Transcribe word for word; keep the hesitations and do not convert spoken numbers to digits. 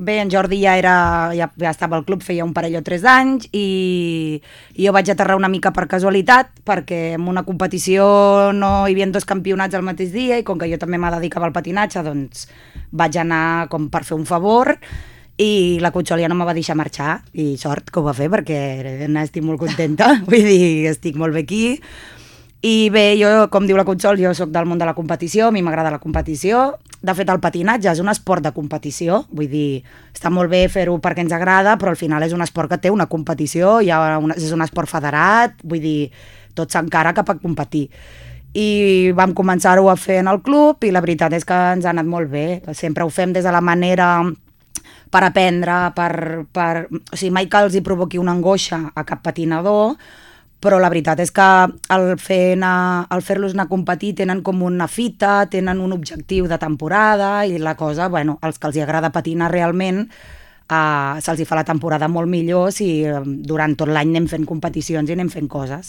Bé, en Jordi ja, era, ja, ja estava al club, feia un parell o tres d'anys, i, i jo vaig aterrar una mica per casualitat, perquè en una competició no hi havia dos campionats al mateix dia, i com que jo també me dedicava al patinatge, doncs vaig anar com per fer un favor, i la Conxol ja no me va deixar marxar, i sort que ho va fer, perquè n'estic molt contenta, vull dir, estic molt bé aquí. I bé, jo, com diu la Conxol, jo sóc del món de la competició, a mi m'agrada la competició. De fet, el patinatge és un esport de competició, vull dir, està molt bé fer-ho perquè ens agrada, però al final és un esport que té una competició, hi ha una, és un esport federat, vull dir, tot s'encara cap a competir. I vam començar-ho a fer en el club i la veritat és que ens ha anat molt bé. Sempre ho fem des de la manera per aprendre, per, per... o sigui, mai que els hi provoqui una angoixa a cap patinador, però la veritat és que al, fer anar, al fer-los anar a competir tenen com una fita, tenen un objectiu de temporada i la cosa, bueno, els que els hi agrada patinar realment, eh, se'ls hi fa la temporada molt millor si durant tot l'any anem fent competicions i anem fent coses.